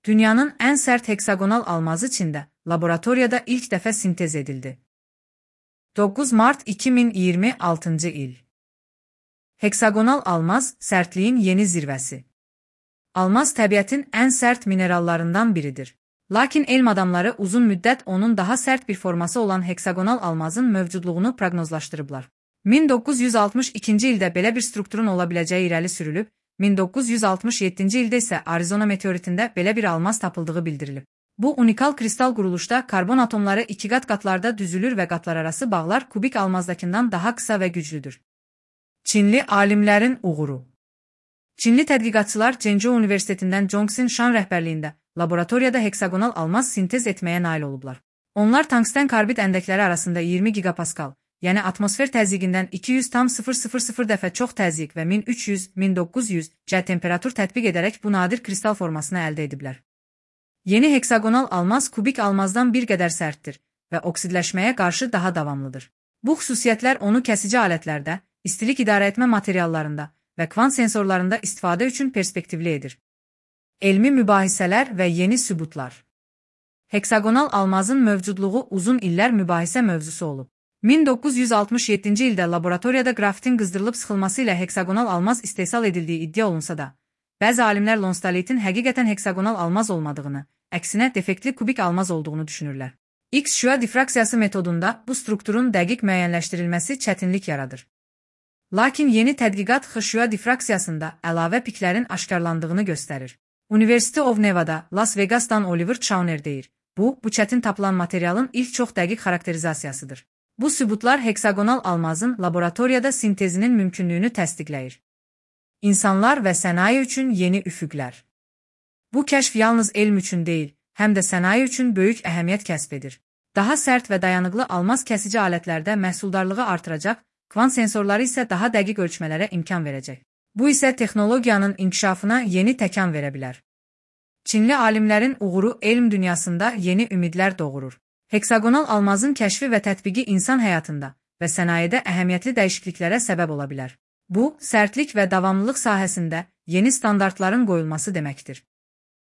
Dünyanın ən sərt heksagonal almazı Çində, laboratoriyada ilk dəfə sintez edildi. 9 mart 2026 il. Heksagonal almaz, sərtliyin yeni zirvəsi. Almaz təbiətin ən sərt minerallarından biridir. Lakin elm adamları uzun müddət onun daha sərt bir forması olan heksagonal almazın mövcudluğunu proqnozlaşdırıblar. 1962-ci ildə belə bir strukturun ola biləcəyi irəli sürülüb, 1967-ci ildə isə Arizona meteoritində belə bir almaz tapıldığı bildirilib. Bu unikal kristal quruluşda karbon atomları iki qatlarda düzülür və qatlararası bağlar kubik almazdakından daha qısa və güclüdür. Çinli alimlərin uğuru. Çinli tədqiqatçılar Zhengzhou Universitetindən Zhongxin Shan rəhbərliyində laboratoriyada heksagonal almaz sintez etməyə nail olublar. Onlar tungsten karbid əndəkləri arasında 20 gigapaskal, yəni atmosfer təzyiqindən 200,000 dəfə çox təzyiq və 1300-1900 C temperatur tətbiq edərək bu nadir kristal formasını əldə ediblər. Yeni heksagonal almaz kubik almazdan bir qədər sərtdir və oksidləşməyə qarşı daha davamlıdır. Bu xüsusiyyətlər onu kəsici alətlərdə, istilik idarəetmə materiallarında və kvant sensorlarında istifadə üçün perspektivli edir. Elmi mübahisələr və yeni sübutlar. Heksagonal almazın mövcudluğu uzun illər mübahisə mövzusu olub. 1967-ci ildə laboratoriyada qrafitin qızdırılıb sıxılması ilə heksagonal almaz istehsal edildiyi iddia olunsa da, bəzi alimlər lonstalitin həqiqətən heksagonal almaz olmadığını, əksinə defektli kubik almaz olduğunu düşünürlər. X-şüa difraksiyası metodunda bu strukturun dəqiq müəyyənləşdirilməsi çətinlik yaradır. Lakin yeni tədqiqat X-şüa difraksiyasında əlavə piklərin aşkarlandığını göstərir. University of Nevada, Las Vegas'dan Oliver Chauner deyir. Bu çətin tapılan materialın ilk çox dəqiq xarakterizasiyasıdır. Bu sübutlar heksagonal almazın laboratoriyada sintezinin mümkünlüyünü təsdiqləyir. İnsanlar və sənaye üçün yeni üfüqlər. Bu kəşf yalnız elm üçün deyil, həm də sənaye üçün böyük əhəmiyyət kəsb edir. Daha sərt və dayanıqlı almaz kəsici alətlərdə məhsuldarlığı artıracaq, kvant sensorları isə daha dəqiq ölçmələrə imkan verəcək. Bu isə texnologiyanın inkişafına yeni təkan verə bilər. Çinli alimlərin uğuru elm dünyasında yeni ümidlər doğurur. Heksagonal almazın kəşfi və tətbiqi insan həyatında və sənayedə əhəmiyyətli dəyişikliklərə səbəb ola bilər. Bu, sərtlik və davamlılıq sahəsində yeni standartların qoyulması deməkdir.